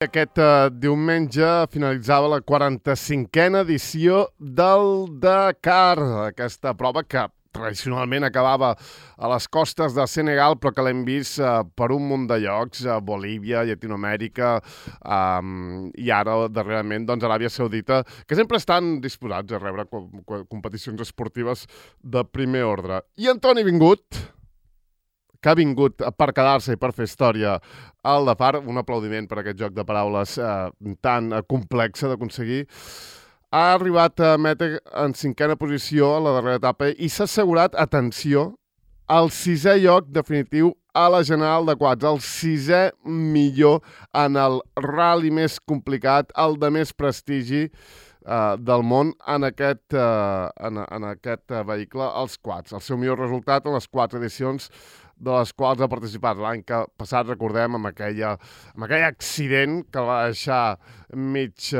Aquest diumenge finalitzava la 45a edició del Dakar, aquesta prova que tradicionalment acabava a les costes de Senegal, però que l'hem vist per un munt de llocs, a Bolívia, Llatinoamèrica, i ara, darrerament, doncs, Aràbia Saudita, que sempre estan disposats a rebre competicions esportives de primer ordre. I Antoni Vingut, que ha vingut per quedar-se i per fer història al Dakar, un aplaudiment per aquest joc de paraules tan complex d'aconseguir, ha arribat a metre en 5a posició a la darrera etapa i s'ha assegurat, atenció, el 6è lloc definitiu a la General de Quads, el 6è millor en el rally més complicat, el de més prestigi del món en aquest vehicle, els quads. El seu millor resultat en les 4 edicions de les quals ha participat. L'any que passat, recordem, amb aquell accident que el va deixar mig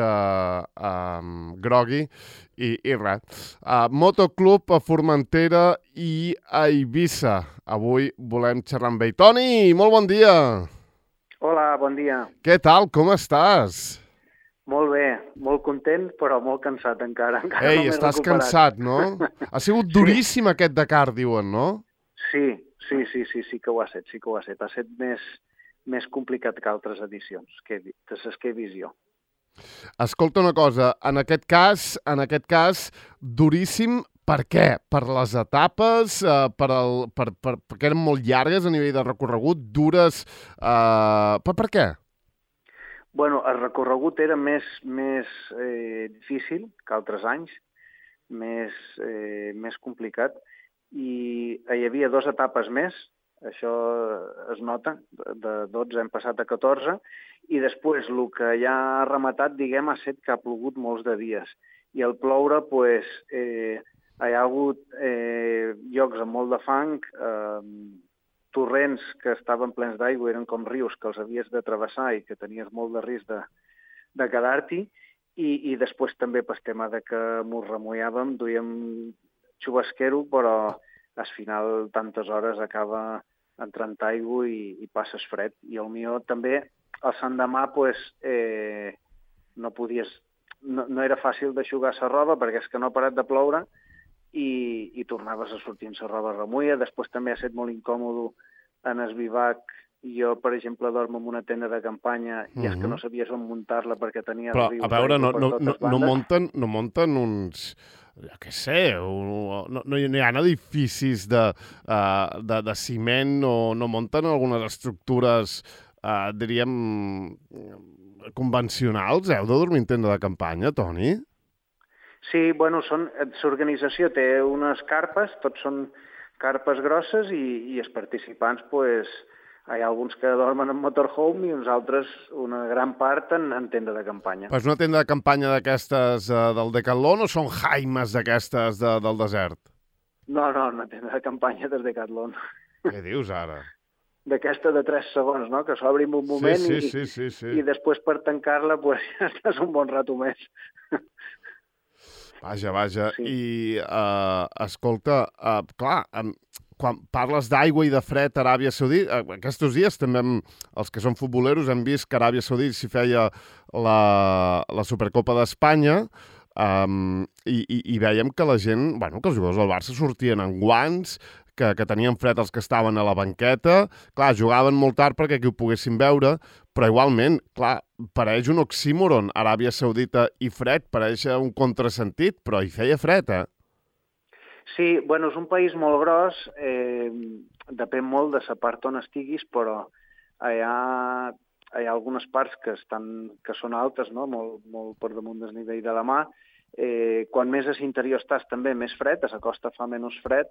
grogui i res. Motoclub a Formentera i a Eivissa. Avui volem xerrar amb ell. Toni, molt bon dia! Hola, bon dia. Què tal? Com estàs? Molt bé, molt content, però molt cansat encara. Ei, no estàs cansat, no? Ha sigut duríssim aquest Dakar, diuen, no? Sí que ho ha set, Ha set més complicat que altres edicions, de les que he vist jo. Escolta una cosa, en aquest cas, duríssim, per què? Per les etapes, perquè eren molt llargues a nivell de recorregut, dures... Per què? Bueno, el recorregut era més difícil que altres anys, més complicat, i hi havia 2 etapes més, això es nota, de 12 hem passat a 14, i després el que ja ha rematat, diguem, ha set que ha plogut molts de dies. I al ploure, doncs, hi ha hagut llocs amb molt de fang, torrents que estaven plens d'aigua, eren com rius que els havies de travessar i que tenies molt de risc de quedar-t'hi, i després també pel tema de que m'ho remullàvem, duíem xubasquero, però al final tantes hores acaba entrant aigua i passes fred. I el millor també, el l'endemà, no era fàcil d'aixugar la roba perquè és que no ha parat de ploure i tornaves a sortir amb la roba remulla. Després també ha estat molt incòmode en el bivac. Jo, per exemple, dormo en una tenda de campanya i és que no sabies on muntar-la perquè tenia... Però, a veure, no munten uns... Jo què sé, no hi ha edificis de ciment o no munten algunes estructures, diríem, convencionals? Heu de dormir en tenda de campanya, Toni? Sí, bueno, l'organització té unes carpes, tots són carpes grosses i els participants, hi ha alguns que dormen en motorhome i uns altres, una gran part, en tenda de campanya. Però és una tenda de campanya d'aquestes del Decathlon o són jaimes d'aquestes del desert? No, una tenda de campanya del Decathlon. Què dius ara? D'aquesta de 3 segons, no?, que s'obre en un moment i després per tancar-la ja estàs un bon rato més. Vaja. Sí. I, escolta, clar, quan parles d'aigua i de fred a Aràbia Saudita, aquests dies també els que són futboleros hem vist que a Aràbia Saudita s'hi feia la Supercopa d'Espanya i vèiem que la gent, que els jugadors del Barça sortien en guants, que tenien fred els que estaven a la banqueta. Clar, jugaven molt tard perquè aquí ho poguessin veure, però igualment, clar, pareix un oxímoron, Aràbia Saudita i fred, pareix un contrasentit, però hi feia fred, eh? Sí, bueno, és un país molt gros, depèn molt de la part on estiguis, però hi ha algunes parts que són altes, no?, molt per damunt del nivell de la mà. Quan més a l'interior estàs, també més fred, a la costa fa menys fred,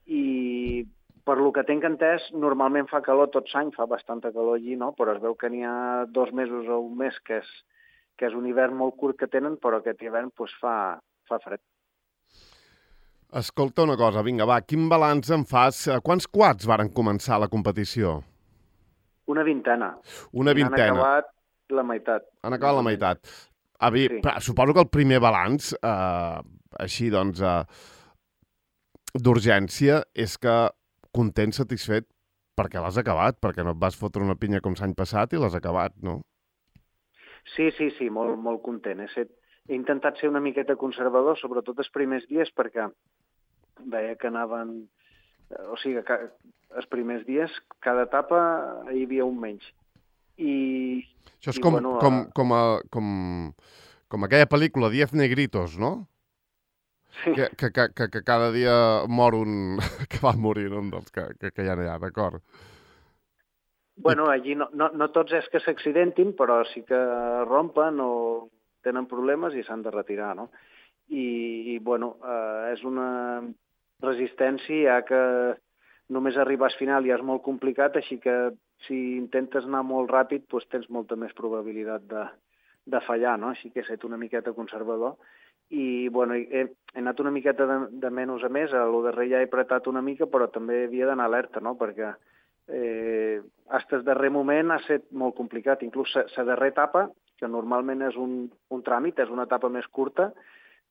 i per lo que tinc entès, normalment fa calor tot l'any, fa bastanta calor allí, no?, però es veu que n'hi ha 2 mesos o un mes que és un hivern molt curt que tenen, però aquest hivern fa fred. Escolta una cosa, vinga, va, quin balanç en fas? Quants quads varen començar la competició? Una vintena. Una vintena. Han acabat la meitat. Han acabat la meitat. Sí. Suposo que el primer balanç, així doncs, d'urgència, és que content, satisfet, perquè l'has acabat, perquè no et vas fotre una pinya com l'any passat i l'has acabat, no? Sí, molt content. He intentat ser una miqueta conservador, sobretot els primers dies, perquè veia que anaven... O sigui, que els primers dies, cada etapa hi havia un menys. Això és I com, bueno, com aquella pel·lícula, Diez Negritos, no? sí. Que cada dia mor un... que va morir un dels que hi ha allà, d'acord? Bueno, allí no tots és que s'accidentin, però sí que rompen o tenen problemes i s'han de retirar, no? Bueno, és una resistència, ja que només arribar al final ja és molt complicat, així que si intentes anar molt ràpid, doncs tens molta més probabilitat de fallar, no? Així que he estat una miqueta conservador. I, bueno, he anat una miqueta de menys a més, a lo darrer ja he apretat una mica, però també havia d'anar alerta, no? Perquè fins al darrer moment ha estat molt complicat. Inclús la darrera etapa, que normalment és un tràmit, és una etapa més curta,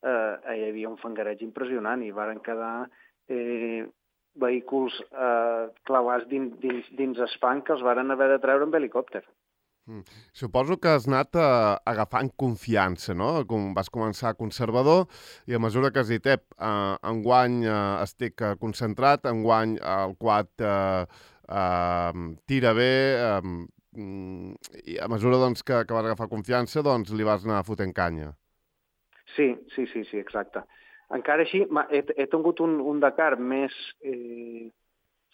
hi havia un fangareig impressionant i varen quedar vehicles clavats dins el fang que els varen haver de treure amb helicòpter. Suposo que has anat agafant confiança, no? Vas començar conservador i a mesura que has dit, enguany estic concentrat, enguany el quad tira bé, i a mesura doncs, que vas agafar confiança doncs, li vas anar fotent canya. Sí, exacte. Encara així, he tingut un Dakar més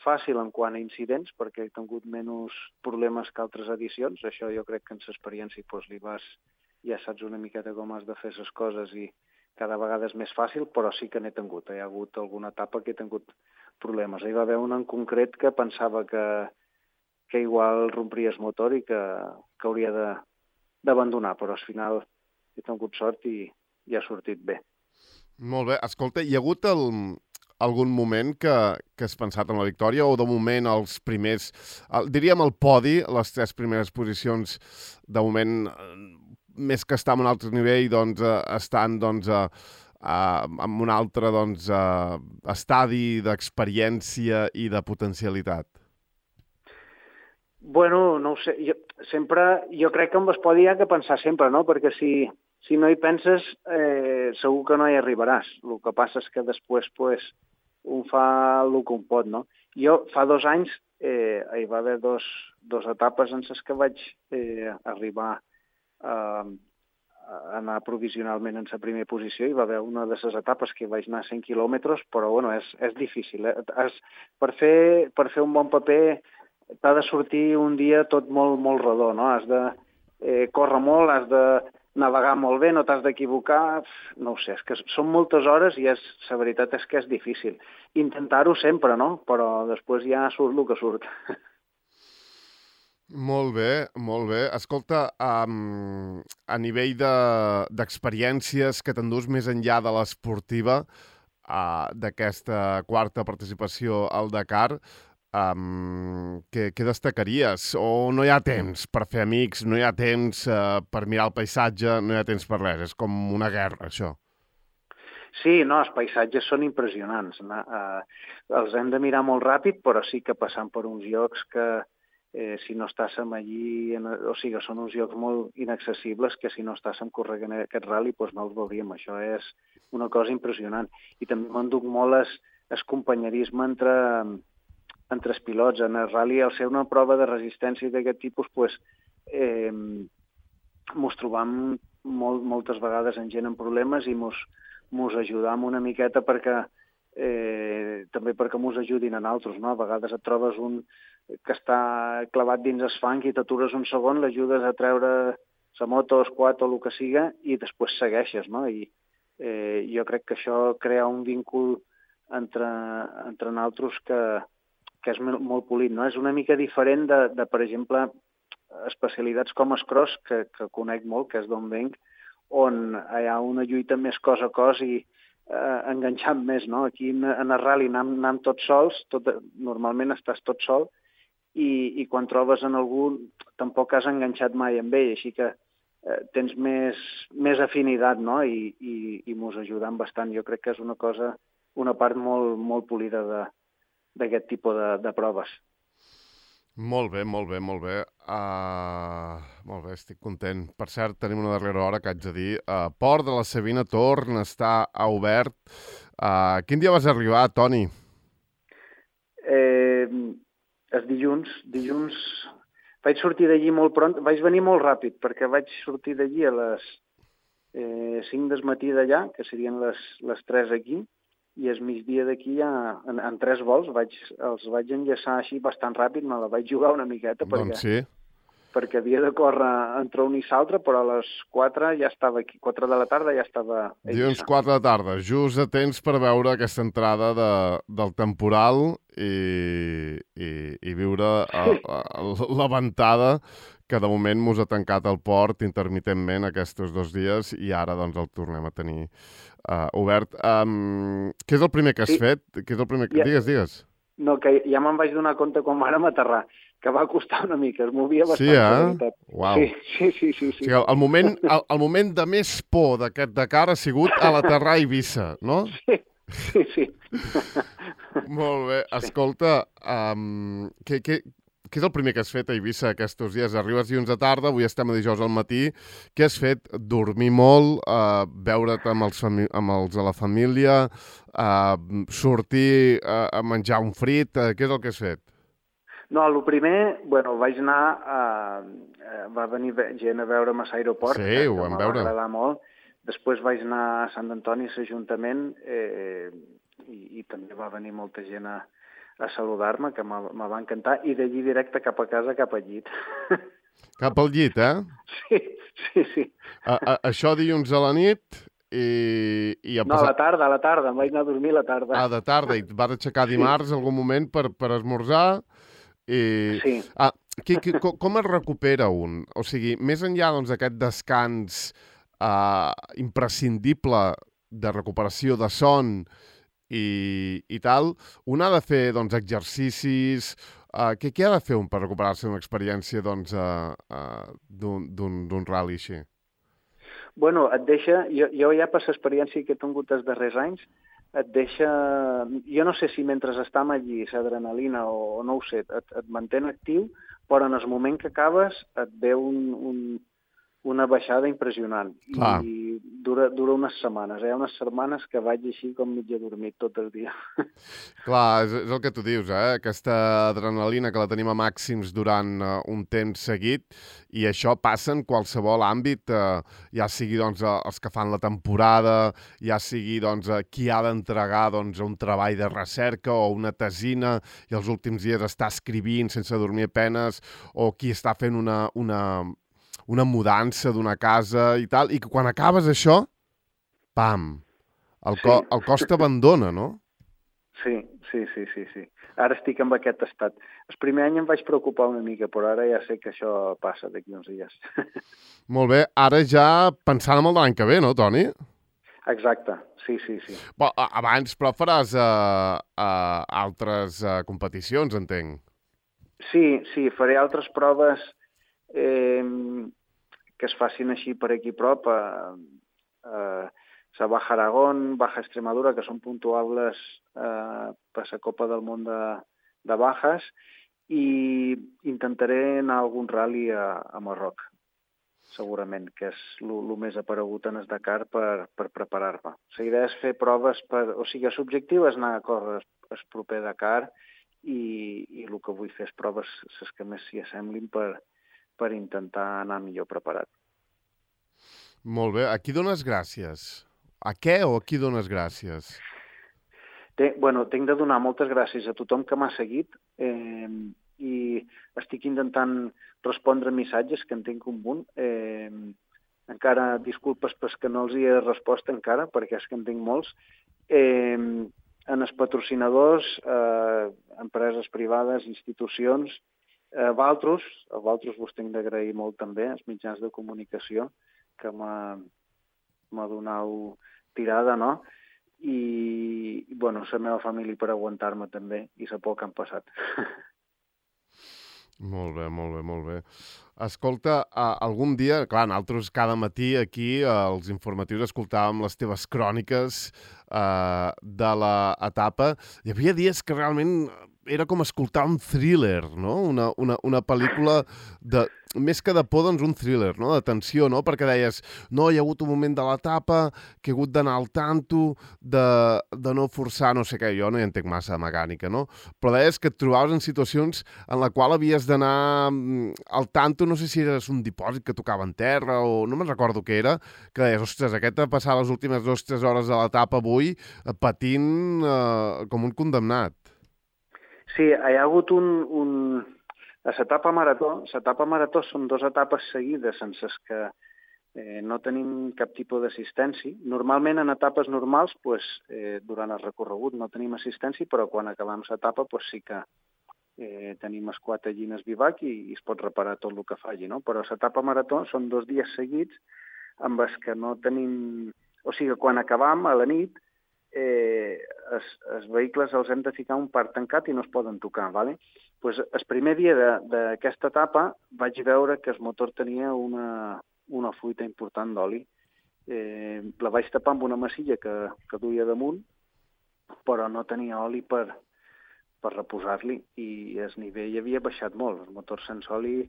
fàcil en quant a incidents, perquè he tingut menys problemes que altres edicions. Això jo crec que en l'experiència doncs, ja saps una miqueta com has de fer les coses i cada vegada és més fàcil, però sí que n'he tingut. Hi ha hagut alguna etapa que he tingut problemes. Hi va haver una en concret que pensava que igual rompria el motor i que hauria d'abandonar, però al final he tingut sort i ha sortit bé. Molt bé. Escolta, hi ha hagut algun moment que has pensat en la victòria o de moment els primers, diríem el podi, les 3 primeres posicions, de moment, més que estar en un altre nivell, doncs, estan doncs, en un altre doncs, estadi d'experiència i de potencialitat? Bueno, no ho sé. Jo crec que amb el podi hi ha que pensar sempre, no? Perquè si no hi penses, segur que no hi arribaràs. El que passa és que després pues, un fa el que un pot, no? Jo fa 2 anys hi va haver dos etapes en les que vaig arribar a anar provisionalment en la primera posició. Hi va haver una de les etapes que vaig anar a 100 quilòmetres, però bueno, és difícil. Per fer un bon paper t'ha de sortir un dia tot molt rodó, no? Has de córrer molt, has de navegar molt bé, no t'has d'equivocar, no ho sé, és que són moltes hores i la veritat és que és difícil. Intentar-ho sempre, no? Però després ja surt el que surt. Molt bé, molt bé. Escolta, a nivell d'experiències que t'endús més enllà de l'esportiva, d'aquesta quarta participació al Dakar, què destacaries? O no hi ha temps per fer amics, no hi ha temps per mirar el paisatge, no hi ha temps per res, és com una guerra, això. Sí, no, els paisatges són impressionants. Els hem de mirar molt ràpid, però sí que passant per uns llocs que si no estàssim allí, o sigui, són uns llocs molt inaccessibles que si no estàssim corregant aquest rally doncs no els veuríem. Això és una cosa impressionant. I també m'enduc molt el companyerisme entre els pilots. En el rally, al ser una prova de resistència d'aquest tipus, doncs, mos trobam moltes vegades en gent amb problemes i mos ajudam una miqueta també perquè mos ajudin a nosaltres, no? A vegades et trobes un que està clavat dins el fang i t'atures un segon, l'ajudes a treure la moto, el quad o el que siga i després segueixes, no? I jo crec que això crea un víncul entre nosaltres que és molt polit, no? És una mica diferent de per exemple, especialitats com el cross, que conec molt, que és d'on venc, on hi ha una lluita més cos a cos i enganxant més, no? Aquí en el rally anem tots sols, normalment estàs tot sol, i quan trobes en algú tampoc has enganxat mai amb ell, així que tens més afinitat, no? I mos ajudem bastant. Jo crec que és una part molt polida d'aquest tipus de proves. Molt bé, molt bé, molt bé. Molt bé, estic content. Per cert, tenim una darrera hora que haig de dir. Port de la Savina torna a estar obert. Quin dia vas arribar, Toni? És dilluns. Dilluns vaig sortir d'allí molt pront. Vaig venir molt ràpid, perquè vaig sortir d'allí a les 5 del matí d'allà, que serien les 3 aquí, i el migdia d'aquí ja, en 3 vols, els vaig enllaçar així bastant ràpid, me la vaig jugar una miqueta, Doncs sí. perquè havia de córrer entre un i l'altre, però a les 4 ja estava aquí, 4 de la tarda ja estava a Eivissa. Dilluns 4 de tarda, just a temps per veure aquesta entrada del temporal i viure la ventada que de moment mos ha tancat el port intermitentment aquests 2 dies i ara doncs el tornem a tenir obert. Què és el primer que has fet? Què és el primer que... Digues. No, que ja me'n vaig donar compte quan vàrem aterrar, que va costar una mica, es movia bastant. Sí, eh? Uau. Sí. O sigui, el moment de més por d'aquest Dakar ha sigut a l'aterrar a Eivissa, no? Sí. Molt bé. Escolta, què és el primer que has fet a Eivissa aquests dies? Arribes dilluns de tarda, avui estem a dijous al matí. Què has fet? Dormir molt, veure't amb els de la família, sortir a menjar un frit? Què és el que has fet? No, el primer, vaig anar, va venir gent a veure'm a l'aeroport, sí, ho vam veure. Va agradar molt. Després vaig anar a Sant Antoni, a l'Ajuntament, i també va venir molta gent a saludar-me, que me va encantar, i d'allí directe cap a casa, cap al llit. Cap al llit, eh? Sí. Això dilluns a la nit i... No, a la tarda, em vaig anar a dormir a la tarda. De tarda, i et vas aixecar dimarts algun moment per esmorzar. Sí. Com es recupera un? O sigui, més enllà d'aquest descans imprescindible de recuperació de son i tal, un ha de fer exercicis. Què ha de fer un per recuperar-se d'una experiència d'un ral·li així? Et deixa... Jo ja per l'experiència que he tingut els darrers anys, et deixa... Jo no sé si mentre estàs allí, l'adrenalina o no ho sé, et mantén actiu, però en el moment que acabes et ve una baixada impressionant. Clar. I dura unes setmanes. Hi ha unes setmanes que vaig així com mig adormit tot el dia. Clar, és el que tu dius, eh? Aquesta adrenalina que la tenim a màxims durant un temps seguit, i això passa en qualsevol àmbit, ja sigui els que fan la temporada, ja sigui qui ha d'entregar un treball de recerca o una tesina i els últims dies està escrivint sense dormir a penes, o qui està fent una mudança d'una casa i tal, i que quan acabes això, pam, el cos t'abandona, no? Sí. Ara estic en aquest estat. El primer any em vaig preocupar una mica, però ara ja sé que això passa d'aquí uns dies. Molt bé, ara ja pensant en el de l'any que ve, no, Toni? Exacte, sí. Però abans, faràs altres competicions, entenc. Sí, faré altres proves que es facin així per aquí prop, a Baja Aragón, Baja Extremadura, que són puntuables per la Copa del Món de Bajas, i intentaré anar a algun ral·li a Marroc, segurament, que és el més aparegut en el Dakar per preparar-me. La idea és fer proves o sigui, l'objectiu és anar a córrer el proper Dakar i el que vull fer és proves les que més s'hi assemblin per intentar anar millor preparat. Molt bé. A qui dones gràcies? A què o a qui dones gràcies? Tinc de donar moltes gràcies a tothom que m'ha seguit i estic intentant respondre missatges que en tinc un munt. Encara disculpes que no els hi he respost encara, perquè és que en tinc molts. En els patrocinadors, empreses privades, institucions, a Valtros vos tinc d'agrair molt també, els mitjans de comunicació, que m'ha donat tirada, no? I la meva família per aguantar-me també, i la por que han passat. Molt bé. Escolta, algun dia, clar, nosaltres cada matí aquí als informatius escoltàvem les teves cròniques de l'etapa. Hi havia dies que realment era com escoltar un thriller, no? Una pel·lícula de... Més que de por, doncs un thriller, no? De tensió, no? Perquè deies, no, hi ha hagut un moment de l'etapa que he hagut d'anar al tanto, de no forçar no sé què, jo no hi entenc massa de mecànica, no? Però deies que et trobaves en situacions en la qual havies d'anar al tanto, no sé si eres un dipòsit que tocava en terra o no me'n recordo què era, que deies, ostres, aquest ha passat les últimes 2 o 3 hores de l'etapa avui patint com un condemnat. Sí, hi ha hagut a l'etapa marató són 2 etapes seguides sense que no tenim cap tipus d'assistència. Normalment en etapes normals, durant el recorregut no tenim assistència, però quan acabem l'etapa sí que tenim esquat allí en el bivac i es pot reparar tot el que faci, no? Però l'etapa marató són 2 dies seguits amb els que no tenim... O sigui, quan acabam a la nit, els vehicles els hem de ficar un parc tancat i no es poden tocar, ¿vale? Pues el primer dia d'aquesta etapa vaig veure que el motor tenia una fuita important d'oli. La vaig tapar amb una massilla que duia damunt, però no tenia oli per reposar-li i el nivell havia baixat molt. El motor sense oli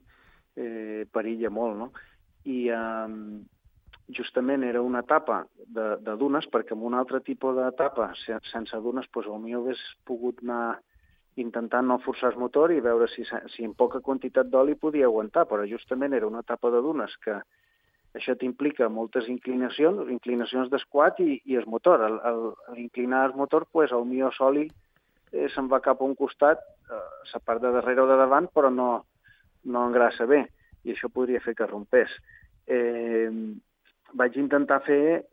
perilla molt, no? I justament era una etapa de dunes, perquè en un altre tipus d'etapa sense dunes, potser hagués pogut anar intentant no forçar el motor i veure si en poca quantitat d'oli podia aguantar, però justament era una etapa de dunes que això t'implica moltes inclinacions d'esquat i el motor. A l'inclinar el motor, el millor l'oli se'n va cap a un costat, la part de darrere o de davant, però no engrassa bé, i això podria fer que rompés. Vaig intentar fer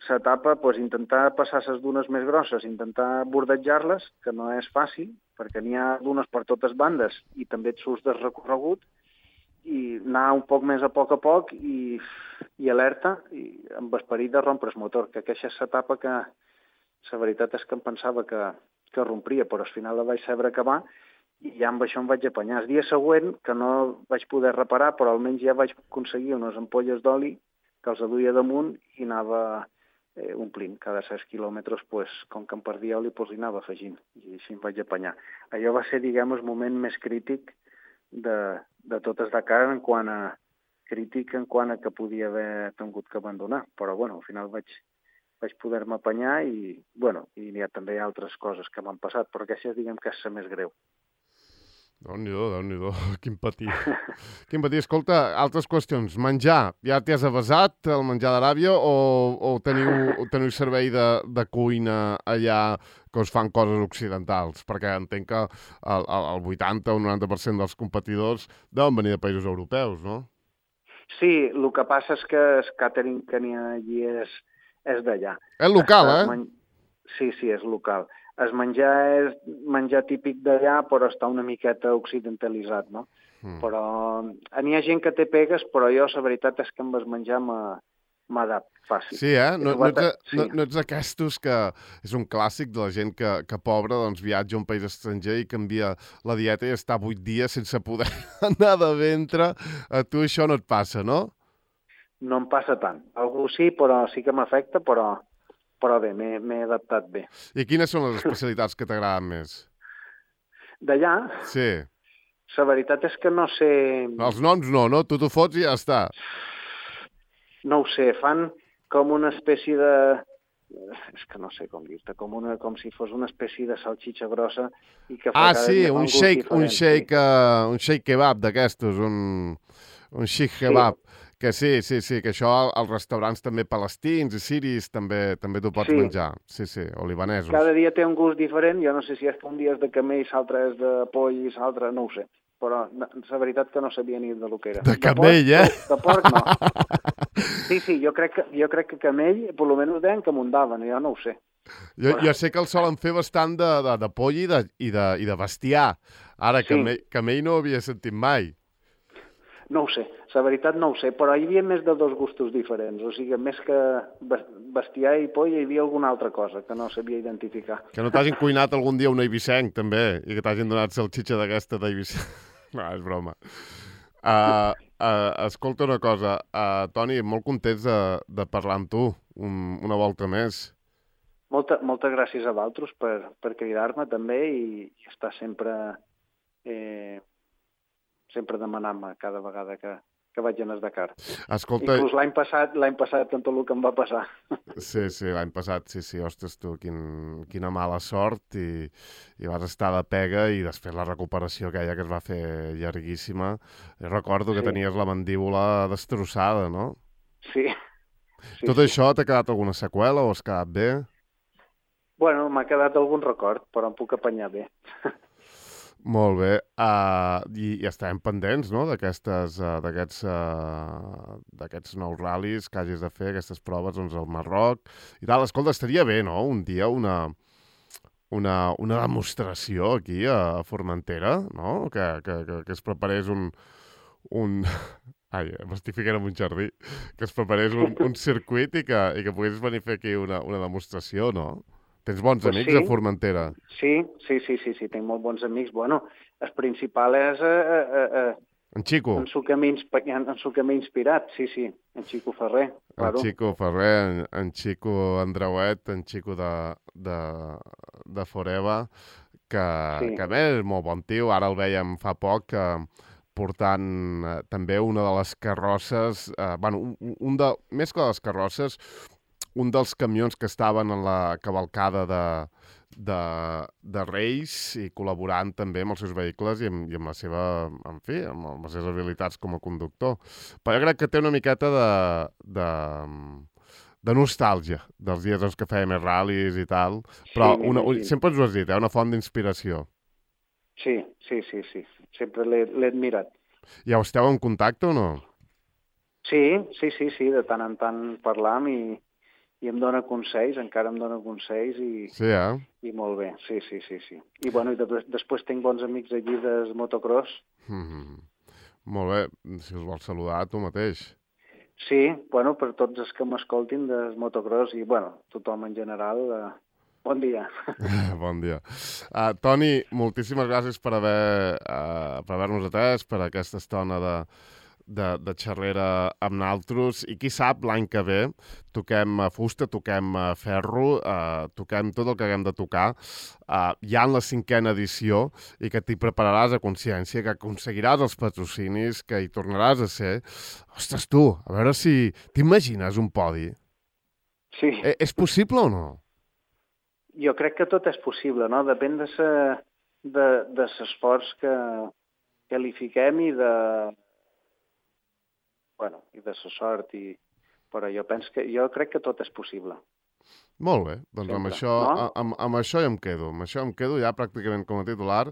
l'etapa, intentar passar les dunes més grosses, intentar bordejar-les, que no és fàcil, perquè n'hi ha dunes per totes bandes i també et surts del recorregut, i anar un poc més a poc i alerta, i amb esperit de rompre el motor, que aquesta és l'etapa que la veritat és que em pensava que rompria, però al final la vaig saber acabar i ja amb això em vaig apanyar. El dia següent, que no vaig poder reparar, però almenys ja vaig aconseguir unes ampolles d'oli que els duia damunt i anava omplint. Cada 6 quilòmetres, com que em perdia oli, li anava afegint i així em vaig apanyar. Allò va ser, diguem, el moment més crític de tot el Dakar en quant a que podia haver tingut que abandonar. Però, al final vaig poder-me apanyar i hi ha també altres coses que m'han passat, però aquesta, diguem, que és la més greu. Déu-n'hi-do, quin patir. Quin patir. Escolta, altres qüestions. Menjar, ja t'hi has avasat, el menjar d'Aràbia, o teniu servei de cuina allà que us fan coses occidentals? Perquè entenc que el 80 o 90% dels competidors deuen venir de països europeus, no? Sí, el que passa és que el càtering que n'hi ha allí és d'allà. És local, Sí, és local. El menjar és menjar típic d'allà, però està una miqueta occidentalitzat, no? Però n'hi ha gent que té pegues, però jo la veritat és que amb el menjar m'adapto fàcil. Sí, No ets d'aquestos que és un clàssic de la gent que pobra, doncs viatja a un país estranger i canvia la dieta i està 8 dies sense poder anar de ventre. A tu això no et passa, no? No em passa tant. Algú sí, però sí que m'afecta, però bé, m'he adaptat bé. I quines són les especialitats que t'agraden més? D'allà? Sí. La veritat és que no sé... Els noms no? Tu t'ho fots i ja està. No ho sé, fan com una espècie de... És que no sé com dir-te, com si fos una espècie de salxitxa grossa i que fa sí, un shake kebab d'aquestos, un shish kebab. Que sí, que això als restaurants també palestins i siris també t'ho pots menjar. Sí, o libanesos. Cada dia té un gust diferent, jo no sé si és que un dia és de camell, l'altre és de poll i l'altre no ho sé. Però la veritat que no sabia ni de lo que era. De camell, De porc no. Sí, jo crec que camell, per lo menys deien que mundaven, jo no ho sé. Jo sé que el solen fer bastant de poll i de bestiar. Ara, camell no ho havia sentit mai. No ho sé, la veritat no ho sé, però hi havia més de 2 gustos diferents, o sigui, més que bestiar i poll hi havia alguna altra cosa que no sabia identificar. Que no t'hagin cuinat algun dia un eivissenc, també, i que t'hagin donat salxitxa d'aquesta d'eivissenc. No, és broma. Escolta una cosa, Toni, molt contents de parlar amb tu una volta més. Moltes gràcies a vosaltres per cridar-me també i estar eh, sempre demanant-me cada vegada que vaig anar al Dakar. Escolta... Inclús l'any passat, amb tot el que em va passar. Sí, l'any passat, sí, ostres, tu, quina mala sort, i vas estar de pega, i després la recuperació aquella que es va fer llarguíssima. Jo recordo que tenies la mandíbula destrossada, no? Sí. Tot això t'ha quedat alguna seqüela o has quedat bé? Bueno, m'ha quedat algun record, però em puc apanyar bé. Molt bé. I estarem pendents, no?, d'aquests nous ral·lis que hagis de fer, aquestes proves, doncs, al Marroc i tal. Escolta, estaria bé, no?, un dia una demostració aquí a Formentera, no?, que es preparés un... Ai, m'estic ficant en un jardí. Que es preparés un circuit i que poguessis venir a fer aquí una demostració, no? Tens bons amics a Formentera? Sí, tinc molt bons amics. Bueno, el principal és... En Xico? En su que m'ha inspirat, sí, en Xico Ferrer. Claro. En Xico Ferrer, en Xico Andreuet, en Xico de Foreva, que a més és molt bon tio. Ara el vèiem fa poc portant també una de les carrosses, més que les carrosses, un dels camions que estaven en la cavalcada de Reis i col·laborant també amb els seus vehicles i amb la seva, en fi, amb les seves habilitats com a conductor. Però jo crec que té una miqueta de nostàlgia dels dies que feia més ral·lis i tal, però sempre ens ho has dit, una font d'inspiració. Sí, sempre l'he admirat. I ja esteu en contacte o no? Sí, de tant en tant parlam i em dona consells, encara em dona consells i molt bé, sí. I bueno, després tinc bons amics allí del motocross. Molt bé, si us vols saludar tu mateix. Sí, bueno, per tots els que m'escoltin del motocross i, bueno, tothom en general, bon dia. Bon dia. Toni, moltíssimes gràcies per haver-nos atès, per aquesta estona de xerrera amb naltros, i qui sap, l'any que ve toquem fusta, toquem ferro, toquem tot el que haguem de tocar, ja en la 5a edició, i que t'hi prepararàs a consciència, que aconseguiràs els patrocinis, que hi tornaràs a ser. Ostres, tu, a veure si t'imagines un podi. Sí. És possible o no? Jo crec que tot és possible, no? Depèn de l'esforç que li fiquem i de la sort, però jo crec que tot és possible. Molt bé, doncs amb això ja em quedo. Amb això em quedo ja pràcticament com a titular.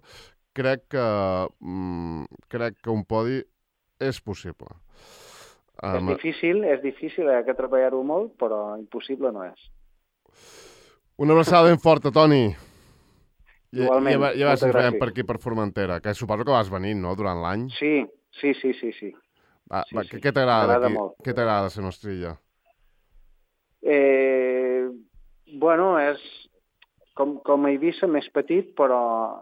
Crec que un podi és possible. És difícil, hi ha que treballar-ho molt, però impossible no és. Una abraçada ben forta, Toni. Igualment, ja vas veient per aquí, per Formentera, que suposo que vas venint, no?, durant l'any. Sí. Què t'agrada aquí? Què t'agrada de ser Nostrilla? Bueno, és com a Eivissa més petit, però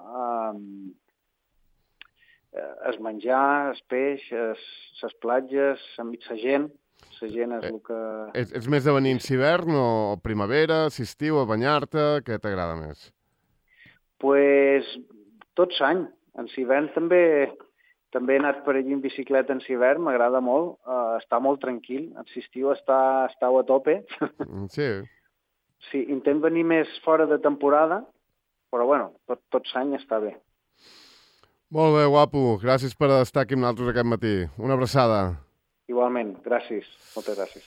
es menjar, el peix, les platges, la gent és el que... Ets més de venir en hivern o primavera, estiu, a banyar-te? Què t'agrada més? Pues tot l'any. En hivern també he anat per allí en bicicleta en hivern, m'agrada molt, està molt tranquil. En l'estiu estàu a tope. Sí. Sí, intent venir més fora de temporada, però bueno, tot l'any està bé. Molt bé, guapo. Gràcies per estar aquí amb nosaltres aquest matí. Una abraçada. Igualment, gràcies. Moltes gràcies.